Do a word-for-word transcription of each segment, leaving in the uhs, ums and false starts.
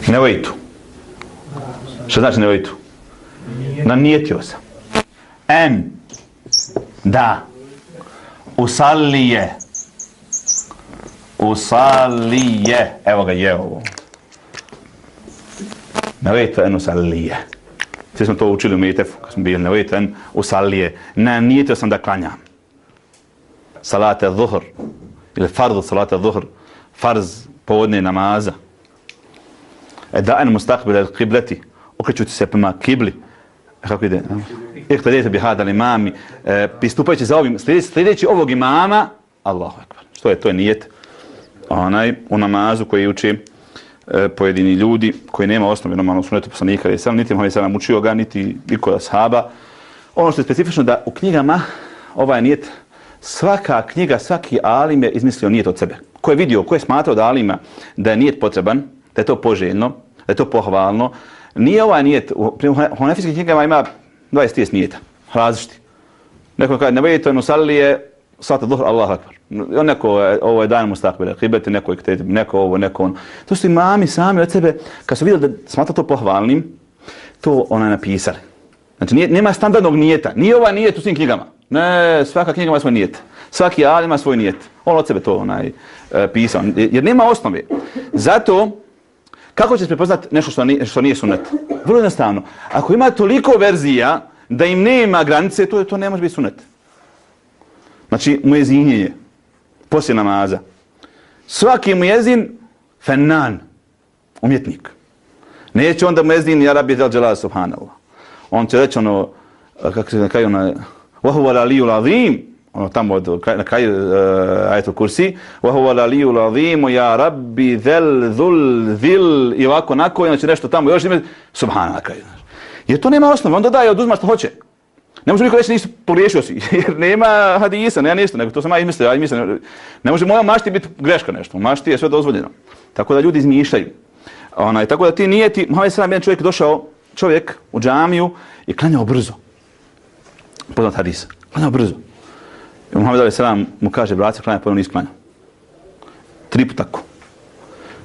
Nevojtu. Što znači nevojtu? Nanijetio sam. En. Da. Usalije. Usalije. Evo ga je ovo. Nevojtu en usalije. Svi smo to učili u Metefu, kad smo bili nevojtu en usalije. Nanijetio sam da klanjam. Salate zuhr. Ili fardu salate zuhr. Farz povodne namaza. Da'an mustaqbil al-qiblati, okrećući se prema kibli. Kako ide? Iqtadite bi hada al-imami, pristupajući za ovim, sljedeći ovog imama, Allahu ekber. Što je to je nijet? Onaj u namazu koji uči e, pojedini ljudi koji nema osnove normalno sunnetu poslanika, jer sam niti Muhammed sallallahu alejhi ve sellem učio ga, niti niko od ashaba. Ono što je specifično da u knjigama ovaj nijet, svaka knjiga, svaki alim je izmislio nijet od sebe. Ko je vidio, ko je smatrao da alima da je nijet potreban, da je to poželjno, da je to pohvalno. Nije ovaj nijet, u hanefijskim knjigama ima dvadeset trideset nijeta, različiti. Neko kaže, nevojtu en usalije, salate zuhr, Allahu ekber. Neko, ovo je dan mustaqbil al-qiblati, neko je neko ovo, neko ono. To su imami sami od sebe, kad su vidjeli da smatra to pohvalnim, to ona napisali. Znači, nije, nema standardnog nijeta. Nije ovaj nijet u svim knjigama. Ne, svaka knjiga ima svoj nijet. Svaki alim ima svoj nijet. On od sebe to onaj, e, pisao. Jer nema osnove. Zato, kako ćeš prepoznat nešto što nije, što nije sunnet? Vrlo jednostavno. Ako ima toliko verzija da im nema granice, to, to ne može biti sunnet. Znači, muezinjenje. Poslije namaza. Svaki muezin, fennan. Umjetnik. Neće onda muezin, ja rabbi del dželal subhanallah. On će reći ono, kako se nekaj ono, وَهُوَ الْعَلِيُّ الْعَظِيمُ, ono tamo od, na kraju uh, ajetul kursi, وَهُوَ الْعَلِيُّ الْعَظِيمُ يَا رَبِّ ذَلْ ذُلْ ذِلْ i ovako, nako, znači nešto tamo još ime, subhanallah, kraju. Jer to nema osnove, on dodaje, oduzma što hoće. Ne može niko reći nisi pogriješio si, jer nema hadisa, nema ništa, nego to sam ja izmislio, ja izmislio. Ne može moja mašti biti greška nešto, mašti je sve dozvoljeno. Tako da ljudi izmišljaju. Onaj, tako da ti nijeti, Muhammed sallallahu alejhi ve sellem, jedan čovjek došao, čovjek u džamiju i klanjao brzo. Poznat hadis. Klanjao brzo. I Muhammed alejhi ve sellem mu kaže, braće, klanjao, ponovno nisi klanjao. Tri put tako.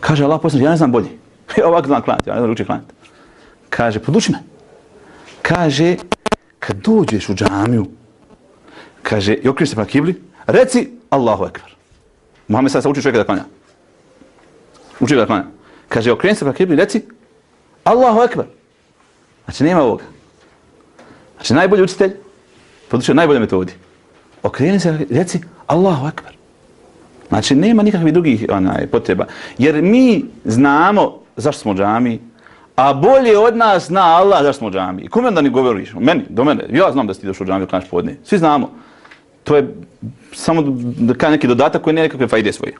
Kaže Allah poslanik, ja ne znam bolji. Ja ovako znam klanjati, ja ne znam uči klanjati. Kaže, poduči me. Kaže, kad dođeš u džamiju, kaže, i okriješ se prema kibli, reci Allahu ekber. Muhammed sad se uči čovjeka da klanja. Uči ga da klanja. Kaže, okreni se prema kibli, reci Allahu ekber. Znači, nema ovoga. Znači, najbolji učitelj podučio najbolje metodi. Okreni se, reci Allahu ekber. Znači, nema nikakvih drugih onaj, potreba. Jer mi znamo zašto smo u džamiji, a bolje od nas zna Allah zašto smo u džamiji. Kome onda ni govoriš? Meni, do mene. Ja znam da si ti došao u džamiju, klanjaš podne. Svi znamo. To je samo neki dodatak koji nije nekakve fajde svoje.